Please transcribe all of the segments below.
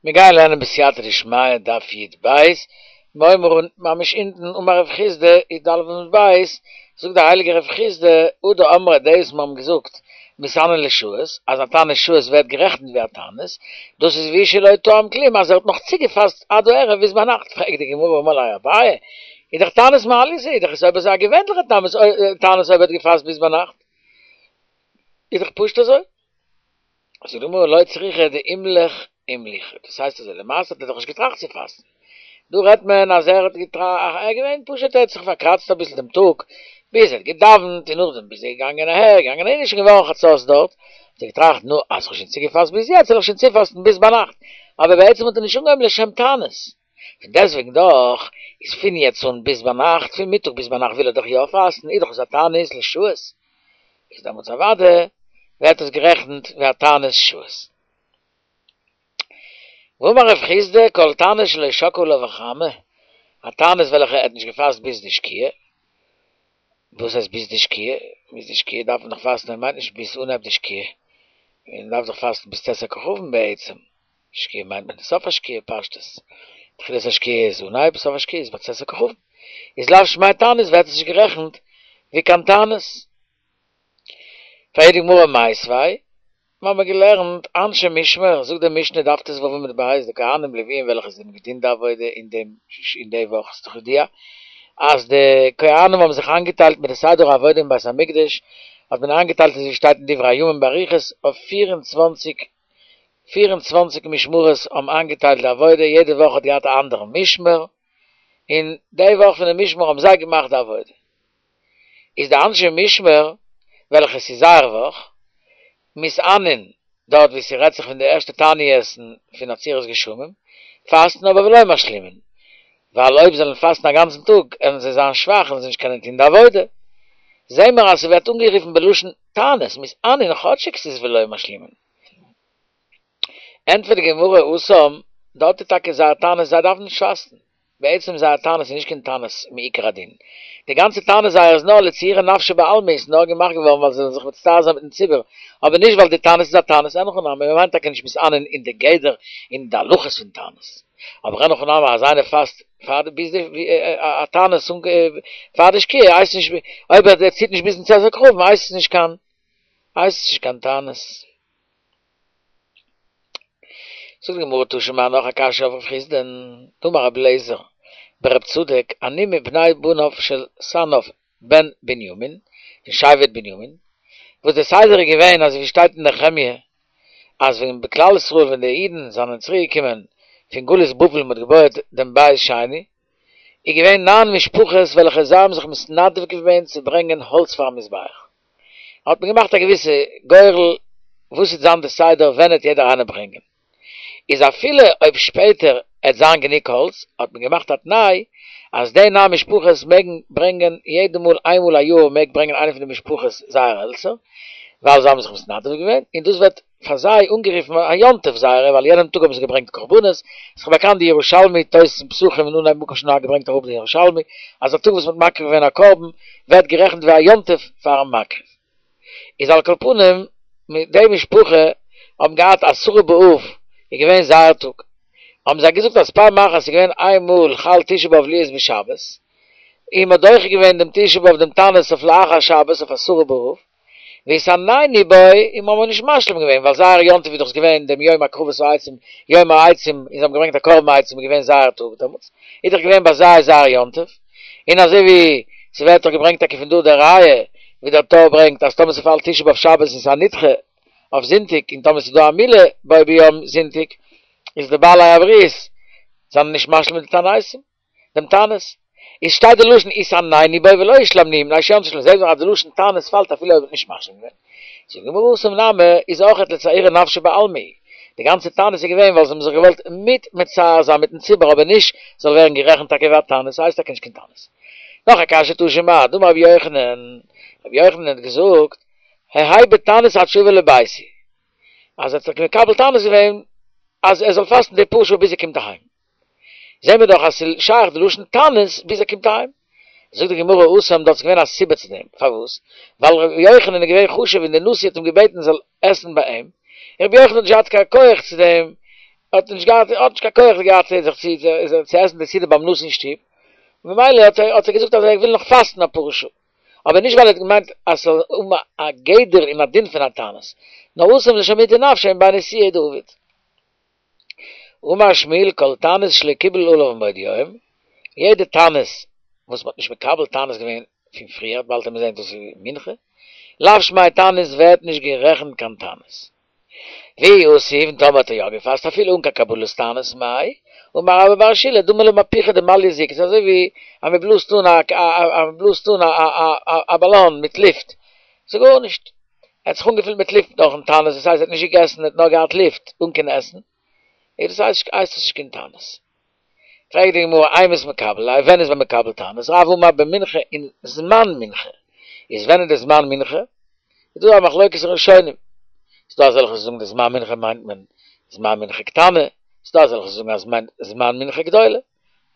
מיר גייען לערנען בסייעתא דשמיא דף י"ב, מ'הויבן אן ממש אונטן, אמר רב חסדא, י"א עמוד ב', זאגט דער הייליגער רב חסדא, הא דאמרי דאס מיר האבן געזאגט מתענין לשעות, אז א תענית שעות ווערט גערעכנט ווי א תענית, דאס איז והוא שלא טעם כלום אז ער האט נאך צוגעפאסט עד הערב ביז ביינאכט, פרעגט די גמרא אמר ליה אביי, איז דאך תענית מעלייתא איז דאך עס אויב אזוי א געווענליכע תענית אויב ער האט געפאסט ביז ביינאכט, איז דאך פשוט אזוי. זאגט די גמרא לא צריכא דאימליך אימלוכי, דאס הייסט אזוי, למעשה האט ער דאך נישט געטראכט צו פאסטן, דא רעדט מען אז ער האט געטראכט, ער איז געווען פשוט ער האט זיך פארקראצט אביסל דעם טאג, ביז ער האט געדאווענט און נאכדעם ביז ער איז געגאנגען אהער געגאנגען אהין איז שוין געווארן חצות דארט, האט ער געטראכט נו אז כ'האב שוין צוגעפאסט ביז יעצט זאל איך שוין צופאסטן ביז ביינאכט, אבער בעצם האט ער נישט אנגעהויבן לשם תענית, פון דעסטוועגן דאך איז פון יעצט אן ביז ביינאכט, פון מיטאג ביז ביינאכט וויל ער דאך יא פאסטן, איז דאך עס א תענית לשעות. איז דעמאלטס אוודאי ווערט עס גערעכנט ווי א תענית שעות. ואמר רב חסדא כל תענית שלא שקעה עליו החמה, א תענית וועלכע ער האט נישט געפאסט ביז די שקיעה, וואס הייסט ביז די שקיעה? ביז די שקיעה דארף מען דאך פאסטן, ער מיינט נישט ביז אנהייב די שקיעה, מען דארף דאך פאסטן ביז צאת הכוכבים בעצם. שקיעה מיינט מען סוף השקיעה פשטות, תחילת השקיעה איז אנהייב, סוף השקיעה איז ביי צאת הכוכבים, איז לאו שמיה תענית ווערט עס נישט גערעכנט ווי קיין תענית. פרעגט די גמרא מיתיבי, מיר האבן געלערנט אנשי משמר, זאגט די משנה דף ט"ו עמוד ב', די כהנים לוויים וועלכע זיי האבן געדינט די עבודה אין דעם אין די וואך, ס'איז דאך ידוע אז די כהנים האבן זיך איינגעטיילט מיט די סדר העבודה אין בית המקדש, האט מען איינגעטיילט אזוי ווי שטייט אין דברי הימים באריכות אויף 24 24 משמרות האבן איינגעטיילט די עבודה, יעדע וואך האט געהאט א אנדערן משמר, און די וואך פון די משמר האבן זיי געמאכט די עבודה. איז די אנשי משמר, וועלכע ס'איז זייער וואך, מתענין, דארט וואו ס'רעדט זיך פון די ערשטע תענית'ן פון עצירת גשמים, פאסטן אבער ולא משלימין, ווייל אויב זאלן פאסטן א גאנצן טאג עלן זיי זיין שוואך און זיי נישט קענען טון די עבודה. זעהן מיר אז ס'ווערט אנגערופן בלשון תענית, מתענין כאטשיג ס'איז ולא משלימין. ענטפערט די גמרא התם, דארט איז טאקע זייער תענית זיי דארפן נישט פאסטן, בעצם זייער תענית איז נישט קיין תענית מעיקר הדין, די גאנצע תענית זייער איז נאר לצעורי נפשא בעלמא איז נאר געמאכט געווארן ווייל זיי זאלן זיך מצטער זיין מיטן ציבור, אבער נישט ווייל די תענית איז א תענית, אין הכי נמי, מ'מיינט טאקע נישט מתענין אין די גדר אין די הלכות פון תענית. אבער אין הכי נמי אז איינער פאסט פאר די ביז די א תענית פאר די שקיעה הייסט נישט אויב ער ציט נישט ביזן צאת הכוכבים הייסט עס נישט קיין הייסט עס נישט קיין תענית. זאגט די גמרא תא שמע נאך א קשיא אויף רב חסדא'ן, דאמר רבי אליעזר ברב צדוק אני מבני בניו של סנאף בן בנימין פון שבט בנימין, וואס דער סדר איז געווען אזוי ווי שטייט אין נחמיה אז ווען בכלל ישראל ווען די אידן זענען צוריק געקומען פון גלות בבל און מען האט געבויעט דעם בית שני, איז געווען ניין משפחות וועלכע זיי האבן זיך מתנדב געווען צו ברענגען האלץ פארן מזבח, האט מען געמאכט א געוויסע גורל וואס וועט זיין די סדר ווען עט יעדער איינער ברענגען. איז אפילו אויב שפעטער עט זיין גענוג האלץ, האט מען געמאכט א תנאי אז די ניין משפחות מעגן ברענגען יעדע מאל איין מאל א יאר מעג ברענגען איינע פון די משפחות זייער העלצער, ווייל זיי האבן זיך מתנדב געווען, און דאס ווערט פאר זיי אנגערופן א יום טוב זייערע ווייל יענעם טאג האבן זיי געברענגט קרבנות, איז דאך באקאנט די ירושלמי תוס' אין פסחים אין אנהייב מקום שנהגו ברענגט אראפ די ירושלמי אז א טאג וואס מ'האט מקריב געווען א קרבן ווערט גערעכנט ווי א יום טוב פארן מקריב. איז על כל פנים די משפחה האבן געהאט עשרה באב איז געווען זייער טאג, האבן זיי געזאגט אז פעם אחת איז געווען איין מאל חל תשעה באב להיות בשבת, און מ'האט דוחה געווען דעם תשעה באב דעם תענית אויף לאחר שבת אויף עשרה באב, והתענינו בו, און מ'האמיר נישט משלים געווען ווייל זייער יום טוב איז דאך געווען דעם יום הקרבת העצים, יום העצים, און זיי האבן געברענגט א קרבן עצים איז געווען זייער טאג דעמאלטס, איז דאך געווען ביי זיי זייער יום טוב. און אזוי ווי ס'ווערט דאך געברענגט טאקע פון דא די ראיה ווי דער טור ברענגט אז טאמער ס'פאלט תשעה באב שבת און ס'איז א נדחה אויף זונטאג און טאמער ס'איז דא א מילה בו ביום זונטאג איז די בעלי הברית זענען נישט משלים מיט די תעניתים דעם תענית איז שטייט די לשון התענינו בו ולא השלמנוהו מפני שהוא יום טוב שלהם זעהט מען אז די לשון תענית פאלט אפילו אויב מ'האט נישט משלים געווען. זאגט די גמרא התם נמי איז אויכעט לצעורי נפשא בעלמא, די גאנצע תענית איז געווען ווייל זיי האבן זיך געוואלט מיט מצער זיין מיטן ציבור אבער נישט זאל ווערן גערעכנט טאקע ווי א תענית, ס'הייסט טאקע נישט קיין תענית. נאך א קשיא תא שמע, דאמר רבי יוחנן, רבי יוחנן האט געזאגט, הוי בתענית עד שאבוא לביתי, אז ער האט זיך מקבל תענית געווען אז ער זאל פאסטן די פאר שעה ביז ער קומט אהיים. זעהן מיר דאך אז ס'איז שייך די לשון תענית ביז ער קומט אהיים. זאגט די גמרא התם דארט איז געווען א סיבה צו דעם, פארוואס? ווייל ר' יוחנן איז געווען חשוב און דער נשיא האט אים געבעטן ער זאל עסן ביי אים, און ר' יוחנן האט נישט געהאט קיין כח צו דעם. האט נישט געהאט, האט נישט קיין כח געהאט זיך צו צו עסן די סעודה ביים נשיא אין שטוב, ממילא האט ער האט ער געזאגט אז ער וויל נאך פאסטן אפאר שעה, אבער נישט ווייל ער האט געמיינט אז ס'זאל האבן א גדר און א דין פון א תענית, נאר התם לשמוטי נפשיה מבי נשיואי דעביד. אמר שמואל כל תענית שלא קיבל עליו מבעוד יום, יעדע תענית וואס מ'האט נישט מקבל תענית געווען פון פריער, באלד וועט מען זען דאס איז מנחה, לאו שמיה תענית ווערט נישט גערעכנט קיין תענית. ואי יתיב, און טאמער האט ער יא געפאסט אפילו אן קיין קבלת תענית מאי, אמר רבה בר שילא דמי למהפוכא דמליא זיקא, ס'איז אזוי ווי אז מ'בלאזט אן א אז מ'בלאזט אן א באלאן מיט לופט, ס'איז גארנישט. ער האט זיך אנגעפילט מיט לופט נאכן תענית, דאס הייסט ער האט נישט געגעסן, ער האט נאר געהאט לופט אן קיין עסן, איז דאס הייסט הייסט עס נישט קיין תענית. פרעגט די גמרא אימת מקבל ליה, ווען איז מען מקבל תענית? רב אמר במנחה אין זמן מנחה, איז ווען איז די זמן מנחה? איז דא א מחלוקת ראשונים, ס'איז דא אזעלכע וואס זאגן די זמן מנחה מיינט מען זמן מנחה קטנה, ס'איז דא אזעלכע וואס זאגן אז ס'מיינט זמן מנחה גדולה.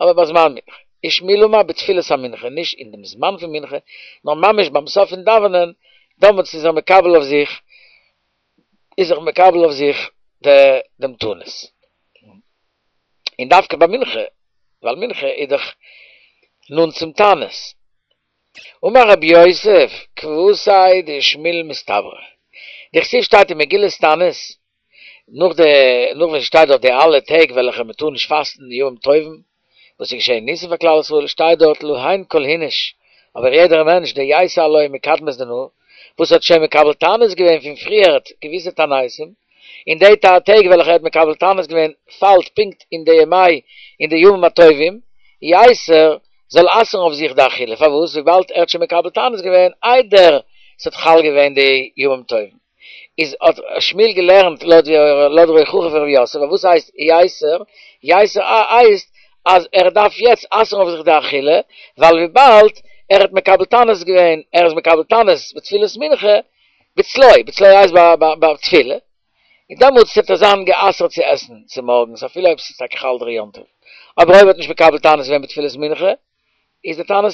אבער ביי זמן מנחה. ושמואל אמר בתפילת המנחה, נישט אין דעם זמן פון מנחה, נאר ממש ביים סוף פון דאווענען, דעמאלטס איז ער מקבל אויף זיך, איז זיך מקבל אויף זיך דעם תענית. און דווקא ביי מנחה, ווייל מנחה איז דאך נאנט צום תענית. אמר רב יוסף, כוותיה דשמואל מסתברא. דכתיב שטייט אין מגילת תענית, נאך די נאך ווען ס'שטייט דארט די אלע טעג וועלכע מען טאר נישט פאסטן די ימים טובים וואס איז געשען ניסים פאר כלל ישראל שטייט דארט להן כל איניש אבער יעדער מענטש דייתי עלוהי מקדמת דנא וואס האט שוין מקבל תענית געווען פון פריערט געוויסע תעניתים און די טעג וועלכע ער האט מקבל תענית געווען פאלט פונקט אין די ימי אין די ימים הטובים ייסר זאל אסר'ן אויף זיך די אכילה פארוואס וויבאלד ער האט שוין מקבל תענית געווען איידער ס'האט חל געווען די ימים טובים. איז האט שמואל געלערנט לויט ווי לויט דער הוכחה פון רב יוסף, וואס הייסט ייסר? ייסר הייסט אז ער דארף יעצט אסר'ן אויף זיך די אכילה, ווייל וויבאלד ער האט מקבל תענית געווען, ער איז מקבל תענית בתפילת מנחה, בצלו, בצלו הייסט ביי תפילה, און דעמאלטס וועט ער זיין גע'אסר'ט צו עסן צומארגנס אפילו אויב ס'איז טאקע חל דער יום טוב, אבער אויב ער האט נישט מקבל תענית געווען בתפילת מנחה, איז די תענית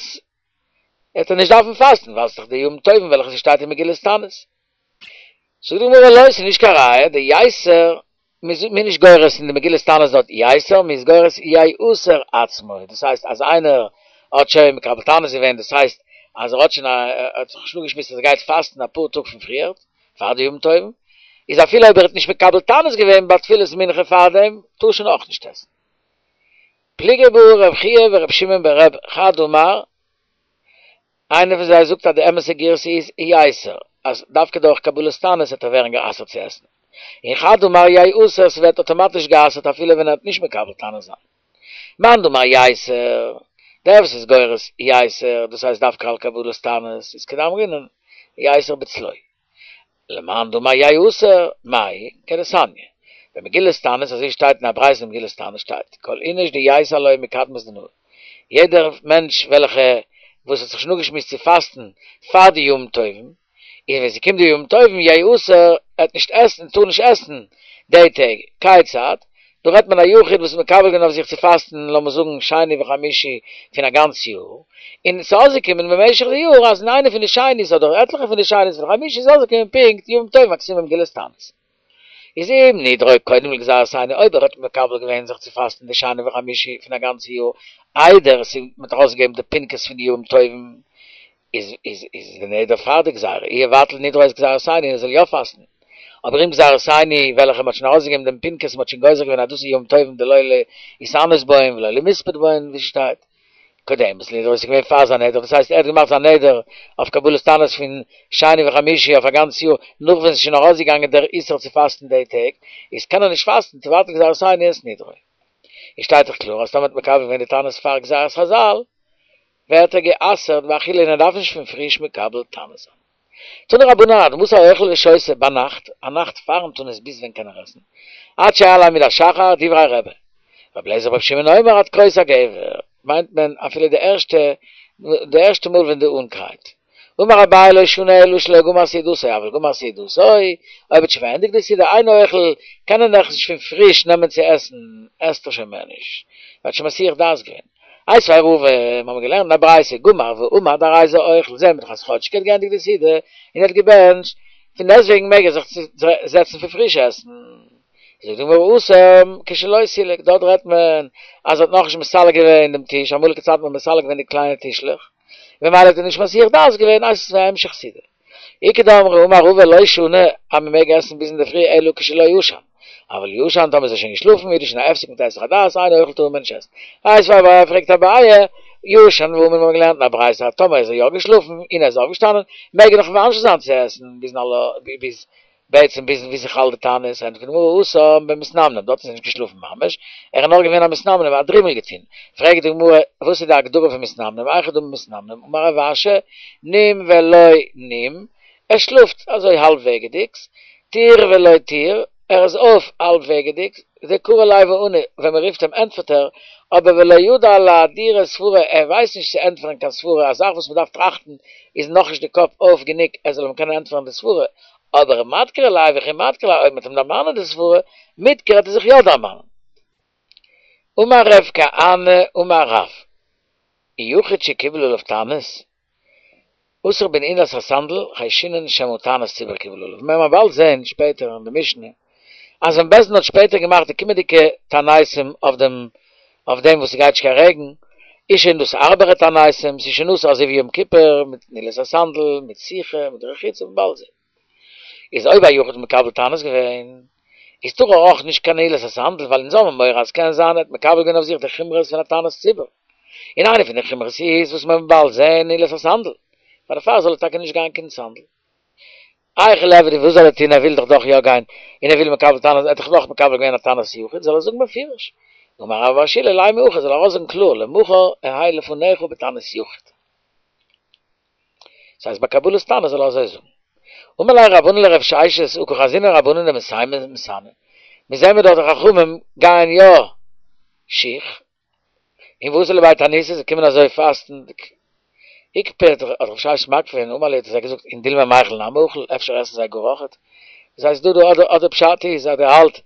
וועט ער נישט דארפן פאסטן ווייל ס'איז דאך די ימים טובים וועלכע ס'שטייט אין מגילת תענית. זאגט די גמרא לא, ס'איז נישט קיין ראיה, דייסר, מ'איז נישט גורס אין די מגילת תענית דארט ייסר, מ'איז גורס ייאסר עצמו, דאס הייסט אז איינער האט שוין מקבל תענית געווען, דאס הייסט אז ער האט שוין ער האט זיך שוין אפגעשמועסט אז ער גייט פאסטן אפאר טאג פון פריערט, פאר די ימים טובים, איז אפילו אויב ער האט נישט מקבל תענית געווען ביי תפילת מנחה פארדעם, טאר שוין אויך נישט עסן. פליגי בה רב חייא ורב שמעון ברבי חד אמר, איינער פון זיי זאגט אז די אמת'ע גירסא איז ייסר, אז דווקא דורך קבלת תענית וועט ער ווערן גע'אסר'ט צו עסן, און חד אמר ייאסר ס'ווערט אטאמאטיש גע'אסר'ט אפילו ווען ער האט נישט מקבל תענית זיין. מאן דאמר ייסר, דער וואס איז גורס ייסר, דאס הייסט דווקא על קבלת תענית, איז כדאמרינן ייסר בצלו. למאן דאמר ייאסר, מאי, כדתניא. במגילת תענית, אזוי שטייט אין א ברייתא אין מגילת תענית שטייט, כל איניש דייתי עילויה מקדמת דנא, יעדער מענטש וועלכע וואס האט זיך שוין אפגעשמועסט צו פאסטן פאר די ימים טובים, און ווען ס'קומט די ימים טובים ייאסר, ער וועט נישט עסן, טאר נישט עסן די טעג, כיצד? דא רעדט מען א יחיד וואס איז מקבל געווען אויף זיך צו פאסטן לאמיר זאגן שני וחמישי פון א גאנץ יאר, און ס'איז אויסגעקומען במשך די יאר אז אין איינע פון די שני'ס אדער עטליכע פון די שני'ס און חמישי'ס איז אויסגעקומען פונקט ימים טובים הכתובים במגילת תענית. איז אם נדרו קודם לגזירת שני אויב ער האט מקבל געווען זיך צו פאסטן די שני וחמישי פון א גאנץ יאר איידער עס איז מ'האט ארויסגעגעבן די פנקס פון די ימים טובים איז איז איז די נדר פאר די גזירה, יבטל נדרו את גזירת שני ער זאל יא פאסטן, אבער אם גזירת שני וועלכע מ'האט שוין ארויסגעגעבן דעם פנקס מ'האט שוין גוזר געווען אז דאס איז ימים טובים דלא להתענות בהן ולא למספד בהן ווי ס'שטייט קודמת לנדרו איז געווען פאר זיין נדר דאס הייסט ער האט געמאכט זיין נדר אויף קבלת תענית פון שני וחמישי אויף א גאנץ יאר נאך ווען ס'איז שוין ארויסגעגאנגען דער איסור צו פאסטן די טעג איז קען ער נישט פאסטן תבטל גזירת שני את נדרו. איז שטייט דאך קלאר אז טאמער האט מקבל געווען די תענית פאר גזירת חזל ווערט ער גע'אסר'ט באכילה און ער דארף נישט פון פריש מקבל תענית זיין. תנו רבנן עד מתי אוכל ושותה ביינאכט, א נאכט פארן תענית ביז ווען קען ער עסן? עד שיעלה עמוד השחר, דברי רבי. רבי אליעזר ברבי שמעון אומר עד קרות הגבר, מיינט מען אפילו די ערשטע די ערשטע מאל ווען די האן קרייט. אמר אביי לא שנו אלא שלא גמר סעודתו אבל גמר סעודתו, אויב האט שוין פארענדיגט די סעודה אינו אוכל קען ער נאכנישט פון פריש נעמען צו עסן, עסט ער שוין מער נישט, ער האט שוין מסיח דעת געווען. איתיביה רבא, מיר האבן געלערנט אין א ברייתא, גמר ועמד הרי זה אוכל, זעהן מיר דאך אז כאטשיג ער האט געענדיגט די סעודה און ער האט געבענטשט, פון דעסטוועגן מעג ער זיך זעצן פון פריש עסן. זאגט די גמרא התם כשלא סילק, דארט רעדט מען אז ער האט נאכנישט מסלק געווען דעם טיש, אמאליגע צייטן האט מען מסלק געווען די קליינע טישלעך, ממילא האט ער נישט מסיח דעת געווען, אז עס איז א המשך סעודה. איכא דאמרי אמר רבא לא שנו אז מען מעג עסן ביז אינדערפרי אלא כשלא ישן, אבל ישן טאמער איז ער שוין געשלאפן איז דאס שוין א הפסק מיט היסח הדעת אינו אוכל טאר מען נישט עסן. איתיביה פרעגט אביי, ישן ואמר מיר האבן געלערנט אין א ברייתא אז טאמער איז ער יא געשלאפן און ער איז אויפגעשטאנען מעג ער נאך ממשיך זיין צו עסן ביזן ביז בעצם ביז ווי ס'חל די תענית, ענטפערט די גמרא התם במתנמנם, דארט איז ער נישט געשלאפן ממש, ער איז נאר געווען א מתנמנם, א דרימל געטון. פרעגט די גמרא, וואס איז די הגדרה פון מתנמנם, היכי דמי מתנמנם, אמר רב אשי, נים ולא נים, ער שלאפט אזוי האלב וועגעדיגס, טיר ולא טיר, ער איז אויף האלב וועגעדיגס, דקרי ליה ועני, ווען מען רופט אים ענטפערט ער, אבער ולא ידע לאהדורי סברא, ער ווייסט נישט צו ענטפערן קיין סברא, א זאך וואס מען דארף טראכטן איז נאכנישט די קאפ אויף גענוג ער זאל אים קענען ענטפערן די סברא, אבער מדכרי ליה וכי מדכר ליה אויב מ'וועט אים דערמאנען די סברא, מדכר וועט ער זיך יא דערמאנען. אמר רב כהנא אמר רב, יחיד שקיבל עליו תענית, אסור בנעילת הסנדל, חיישינן שמא תענית ציבור קיבל עליו. מיר וועלן באלד זען שפעטער אין די משנה, אז ווען בית דין האט שפעטער געמאכט די קומענדיגע תעניתים אויף דעם אויף דעם וואס ס'גייט נישט קיין רעגן, איז שוין דאס הארבערע תעניתים, ס'איז שוין אסור אזוי ווי יום כיפור, מיט נעילת הסנדל, מיט סיכה, מיט רחיצה, מ'וועט באלד זען. איז אויב א יחיד האט מקבל תענית געווען, איז טאר ער אויך נישט קיין נעילת הסנדל, ווייל אונז האבן מורא אז קען זיין ער האט מקבל געווען אויף זיך די חומרות פון א תענית ציבור, און איינע פון די חומרות איז וואס מען וועט באלד זען נעילת הסנדל, פאר דערפאר זאל ער טאקע נישט גיין קיין סנדל. היכי ליעביד וואס זאל ער טון ער וויל דאך דאך יא גיין, און ער וויל מקבל תענית, ער האט דאך דאך מקבל געווען א תענית יחיד, זאל ער זאגן בפירוש, אמר רבה בר שילא לימא הכי זאל ער ארויסזאגן קלאר למחר אהא לפניך בתענית יחיד. ס'הייסט ביי קבלת תענית זאל ער אזוי זאגן. אמר ליה רב ענן לרב ששת הא קא חזינן רבנן דמסיימי מתעני. מיר זעען מיר דאך די חכמים גייען יא שיך, און ואתו לבי תעניתא זיי קומען אזוי פאסטנדיג. איקפד האט רב ששת מקפיד געווען אמר להו האט ער זיי געזאגט אין דילמא מיכל נמי אכיל אפשר עסן זיי גאר אויכעט. דאס הייסט דא דא אדער אדער פשט איז אז ער האלט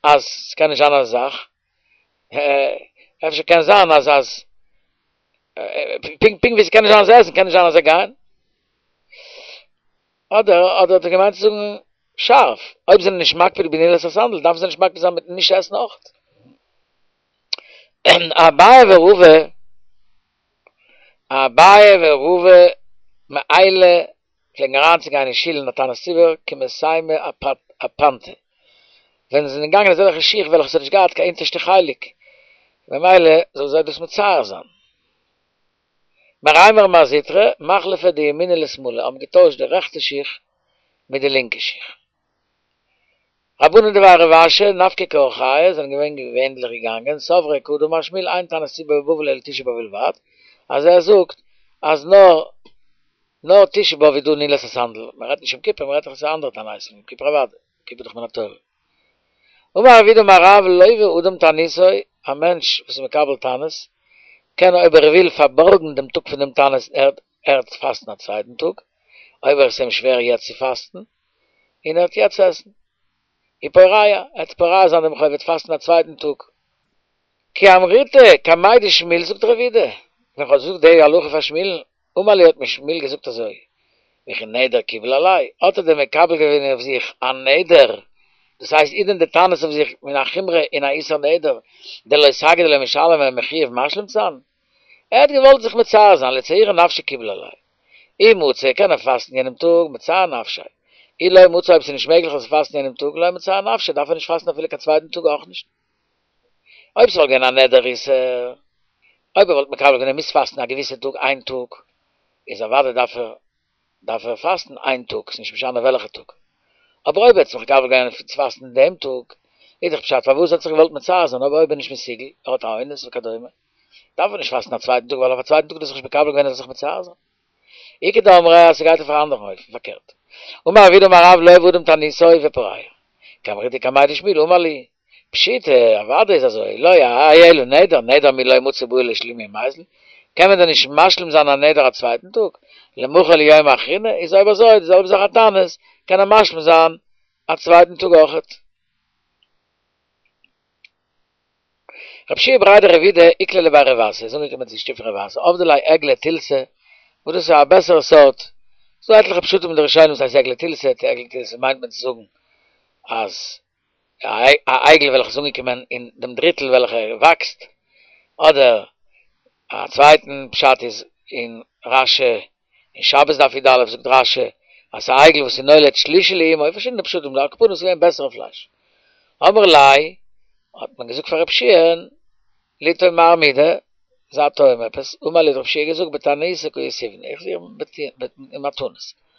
אז ס'קען נישט זיין אזא זאך. אפשר קען זיין אז אז פונקט פונקט ווי ס'קען נישט זיין אז זיי עסן קען נישט זיין אז זיי גייען. אדער אדער האט ער געמיינט צו זאגן שארף, אויב זענען נישט מקפיד בנעילת הסנדל דארפן זיי נישט מקפיד זיין מיטן נישט עסן אויך. אביי ורבא אביי ורבא מעיילי פלעגן אריינצוגיין אין שול אין א תענית ציבור כמסיימי אפנתא, ווען זיי זענען געגאנגען אזעלכע שיך וועלכע ס'האט נישט געהאט קיין אונטערשטע חלק, ממילא זאל זיי דאס מצער זיין. מרימר ומר זוטרא, מחלפי דימינא לשמאלא, האבן געטוישט די רעכטע שיך מיט די לינקע שיך. רבנן דבי רב אשי, נפקי כאורחייהו, זענען געווען געווענדליך געגאנגען, סברי כדאמר שמואל אין תענית ציבור בבבל אלא תשעה באב בלבד, אז ער זאגט אז נאר נאר תשעה באב איז דא נעילת הסנדל, מען רעדט נישט יום כיפור, מען רעדט דאך עס איז א אנדערע תענית, יום כיפור אוודאי, יום כיפור איז דאך מן התורה. אמר רב יהודה אמר רב לוה אדם תעניתו, א מענטש וואס איז מקבל תענית, קען אויב ער וויל פארבארגן דעם טאג פון דעם תענית ער ער וועט פאסטן א צווייטן טאג, אויב ער איז אים שווער יעצט צו פאסטן, און ער וועט יעצט עסן. ופורע, ער וועט פורע זיין דעם חוב, ער וועט פאסטן א צווייטן טאג. כי אמריתה קמיה דשמואל זאגט רב יהודה, ווען כ'האב געזאגט די הלכה פאר שמואל'ן, אמר לי האט מיר שמואל געזאגט אזוי, וכי נדר קיבל עליה, האט ער דען מקבל געווען אויף זיך א נדר, דאס הייסט איז דען די תענית אויף זיך מן החומרא אין א איסור נדר, דלא סגי דלא משלם און מחויב משלים צו זיין? ער האט געוואלט זיך מצער זיין, לצעורי נפשיה קיבל עליה. אי מצי קען ער פאסטן יענעם טאג, מצער נפשיה. אי לא מצי אויב ס'איז נישט מעגליך צו פאסטן יענעם טאג, לא מצער נפשיה דארף ער נישט פאסטן אפילו קיין צווייטן טאג אויך נישט. אויב ס'וואלט געווען א נדר איסור, אויב ער וואלט מקבל געווען ער מוז פאסטן א געוויסע טאג איין טאג, איז אוודאי דארף ער דארף ער פאסטן איין טאג, ס'נישט משנה וועלכע טאג. אבער אויב ער האט זיך מקבל געווען צו פאסטן דעם טאג, איז דאך פשט פארוואס ער האט זיך געוואלט מצער זיין, אבער אויב ער איז נישט מסוגל, ער האט א אונס וכדומה, דארף ער נישט פאסטן א צווייטן טאג ווייל אויף א צווייטן טאג האט ער זיך נישט מקבל געווען ער זאל זיך מצער זיין. איכא דאמרי אז ס'גייט אויף א אנדערן אופן, פארקערט. אמר רב יהודה אמר רב לוה אדם תעניתו ופורע. כי אמריתה קמיה דשמואל אמר לי, פשיטא, אוודאי איז אזוי, לא יהא אלא נדר, נדר מי לא מצי בעי לשלומי ומיזל, קען מען דען נישט משלים זיין א נדר א צווייטן טאג? למחר ליומא אחרינא, איז אויב אזוי די זעלבע זאך א תענית, קען ער משלים זיין א צווייטן טאג אויכעט. רב שיע בריה דרב אידי איקלע לבי רב אסי איז אנגעקומען צו שטוב פון רב אסי עבדי ליה עגלא תילתא, וואס דאס איז א בעסערע סארט, ס'דא עטליכע פשטים אין די ראשונים וואס הייסט עגלא תילתא, צו עגלא תילתא מיינט מען צו זאגן אז. א עגל וועלכע איז אנגעקומען אין דעם דריטל וועלכע וואקסט, אדער א צווייטן פשט איז אין רשי אין שבת דף י"א זאגט רשי אז ס'איז א עגל וואס איז נולד שלישי לאמו, פארשידענע פשטים דא, על כל פנים ס'איז געווען בעסערע פלייש. אמרו ליה האט מען געזאגט פאר רב שיע'ן ליטעום מר מידי, זיי טועם עפעס, אמר להו האט רב שיע געזאגט בתעניתא קא יתיבנא, איך זיך אין א תענית.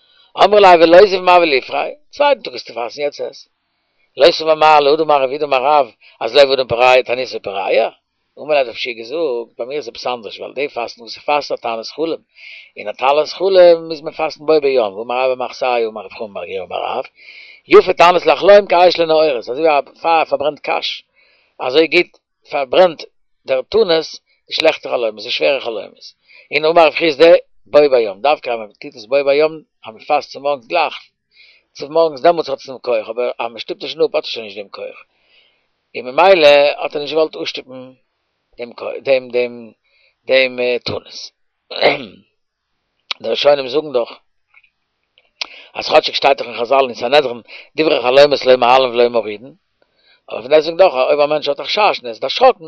אמרו ליה ולותיב מר וליפרע, צווייטן טאג וועסטו פאסטן יעצט עס. לא סבר מר להא דאמר רב יהודה אמר רב אז לב אדם פורע תעניתו פורע? אמר להו האט רב שיע געזאגט, ביי מיר איז עפעס אנדערש ווייל די פאסטן וואס איך פאסט איז א תענית חלום, און א תענית חלום מוז מען פאסטן בו ביום, ואמר רבה בר מחסאי אמר רב חמא בר גוריא אמר רב, יפה תענית לחלום כאש לנעורת, אזוי ווי א פייער פארברענט קש, אזוי גוט פארברענט דער תענית די שלעכטע חלומות, די שווערע חלומות. און אמר רב חסדא, בו ביום, דווקא אז מען טוט עס בו ביום, אז מען פאסט צומארגנס גלייך צומארגנס דעמאלטס האט עס דעם כח, אבער אז מען שטופט עס שוין אפ האט עס שוין נישט דעם כח, און ממילא האט ער נישט געוואלט אפשטופן דעם דעם דעם דעם תענית. די ראשונים זאגן דאך אז כאטשיג שטייט דאך אין חזל אין סנהדרין דברי חלומות לא מעלין ולא מורידין, אבער פון דעסטוועגן דאך אויב א מענטש האט א חשש און ער איז דערשראקן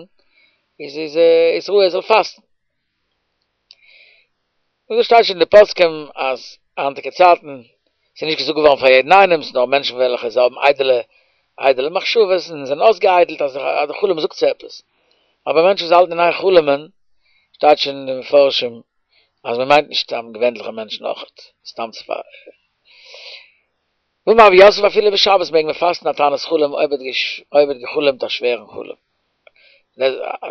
איז איז איז ראוי ער זאל פאסטן. און דאס שטייט שוין אין די פוסקים אז היינטיגע צייטן ס'איז נישט געזאגט געווארן פאר יעדן איינעם, ס'איז נאר מענטשן וועלכע זיי האבן איידעלע איידעלע מחשבות און זענען אויסגעאיידלט אז די חלום זאגט זיי עפעס, אבער מענטשן וואס האלטן אין איין חלומ'ען שטייט שוין אין די מפרשים אז מען מיינט נישט סתם געווענליכע מענטשן אויכעט, סתם צו פאר. ואמר רב יוסף אפילו בשבת מעג מען פאסטן א תענית חלום אויב אויב ער האט געחלומט א שווערן חלום.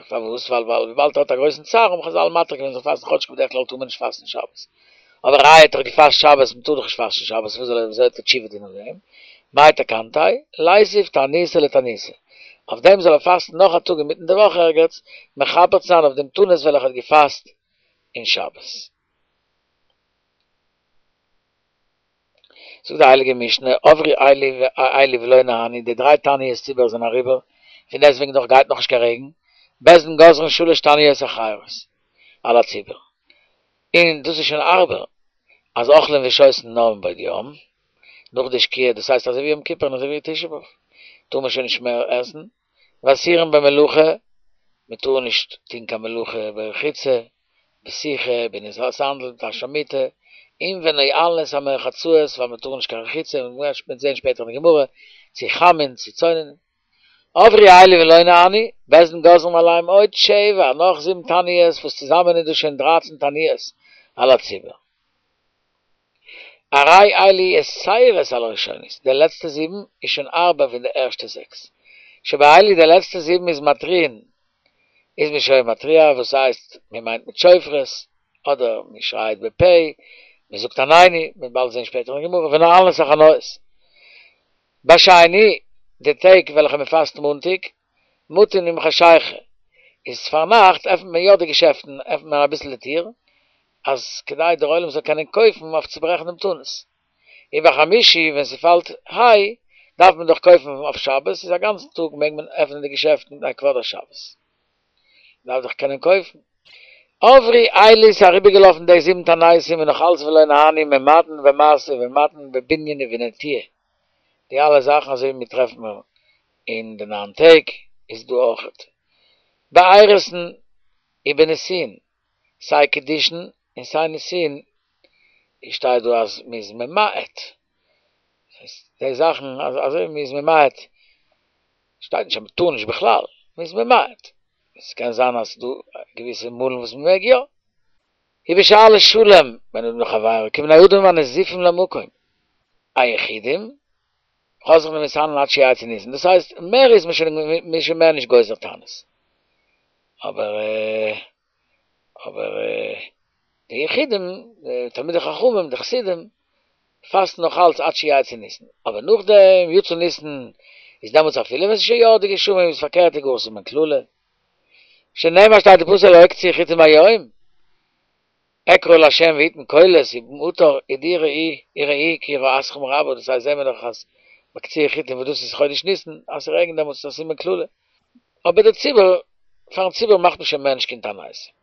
פארוואס? ווייל ווייל וויבאלד ער האט א גרויסן צער האבן חזל מתיר געווען זאל פאסטן כאטשיג בדרך כלל טאר מען נישט פאסטן שבת. אבער איי האט דאך געפאסט שבת מען טאר דאך נישט פאסטן שבת וואס זאל ער וויאזוי וועט ער תשובה טון אויף דעם? מאי תקנתיה? ליתיב תעניתא לתעניתא. אויף דעם זאל ער פאסטן נאך א טאג אינמיטן די וואך ערגעץ מכפר צו זיין אויף דעם תענית וועלכע ער האט געפאסט אין שבת. זאגט די הייליגע משנה, עברו אלו ולא נענו, די דריי תעניות ציבור זענען אריבער, פון דעסטוועגן דאך גייט נאכנישט קיין רעגן, בית דין גוזרין שלש תעניות אחרות על הציבור, און דאס איז שוין הארבער, אז אוכלין ושותין נאר מבעוד יום, נאך די שקיעה, דאס הייסט אזוי ווי יום כיפור און אזוי ווי תשעה באב, טאר מען שוין נישט מער עסן, ואסורין במלאכה, מען טאר נישט טון קיין מלאכה ברחיצה, בסיכה, בנעילת הסנדל, בתשמיש המיטה, און ונועלין את המרחצאות, ווייל מען טאר נישט קיין רחיצה, און מ'וועט זען שפעטער אין די גמרא, צו חמין, צו צוננין. עברו אלו ולא נענו, בית דין גוזרים עליהם עוד שבע, נאך זיבן תעניות, וואס צוזאמען איז דאס שוין דרייצן תעניות על הציבור. הרי אלו יתירות על הראשונות, די לעצטע זיבן איז שוין הארבער פון די ערשטע זעקס. שבאלו די לעצטע זיבן איז מתריעין, איז מען שוין מתריע וואס הייסט מען מיינט מיט שופרות, אדער מען שרייט בפה, מען זאגט עננו, מען וועט באלד זען שפעטער אין גמרא, ונועלין את החנויות. בשני, די טעג וועלכע מען פאסט מאנטאג, מטין עם חשיכה, איז פארנאכט עפנט מען יא די געשעפטן, עפנט מען אביסל די טיר, אז כדי דער עולם זאל קענען קויפן אויף צו ברעכן דעם תענית. ובחמישי ווען ס'פאלט היי דארף מען דאך קויפן אויף שבת, איז א גאנצן טאג מעג מען עפענען די געשעפטן מפני כבוד השבת. מ'דארף דאך קענען קויפן. עברו אלו ס'איז אריבערגעלאפן די זיבן תעניתים און נאך אלץ ולא נענו ממעטין במשא ומתן בבנין ובנטיעה, די אלע זאכן אזוי ווי מיר טרעפן מיר אין די ניין טעג איז דא אויכעט באירוסין ובנישואין, סיי קידושין און סיי נישואין שטייט דא אז מ'איז ממעט, די זאכן אזוי ווי מ'איז ממעט שטייט נישט אז מ'טאר נישט בכלל, מ'איז ממעט, ס'קען זיין אז ס'דא געוויסע מאלן וואס מ'מעג יא. ובשאילת שלום בין אדם לחבירו כבני אדם הנזופים למקום, היחידים חוזרים ומתענין עד שיצא ניסן, דאס הייסט מער איז מען שוין מ'איז שוין מער נישט גוזר תענית, אבער אבער די יחידים, די תלמידי חכמים, די חסידים, פאסטן נאך אלץ עד שיצא ניסן, אבער נאכדעם יצא ניסן איז דעמאלטס אפילו ווען ס'איז שוין ירדו גשמים איז פארקערט איז גאר סימן קללה, שנאמר שטייט אין פסוק הלא הקצו חטים היום, אקרא לה' ויתן קולות ומטר ודי ראי וראו כי יראתכם רבה, דאס הייסט זעהן מיר דאך אז ביי קציר חיטים וואס דאס איז חודש ניסן אז ס'רעגנט דעמאלטס איז א סימן קללה, אבער די ציבור, פארן ציבור מאכט מען שוין מער נישט קיין תענית.